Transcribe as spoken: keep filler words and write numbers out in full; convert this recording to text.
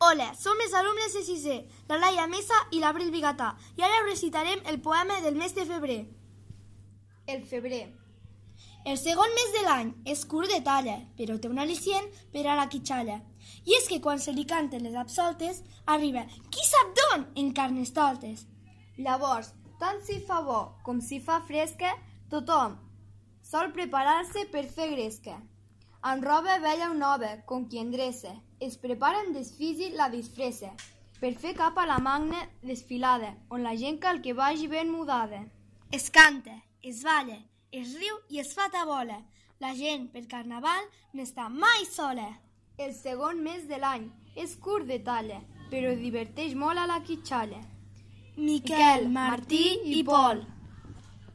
Hola, som els alumnes de sisè, la Laia Mesa i l'Abril Bigatà, i ara recitarem el poema del mes de febrer. El febrer. El segon mes de l'any és curt de talla, però té un al·licient per a la quitxalla. I és que quan se li canten les absoltes, arriba qui sap d'on en carnestoltes. Llavors, tant si fa bo com si fa fresca, tothom sol preparar-se per fer gresca. Amb roba vella o nova, com qui endreça, es preparen desfisi la disfressa, per fer cap a la magna desfilada, on la gent cal que vagi ben mudada. Es canta, es balla, es riu i es fa tabola. La gent per carnaval no està mai sola. El segon mes de l'any és curt de talla, però diverteix molt a la quitxalla. Miquel, Martí i Pol.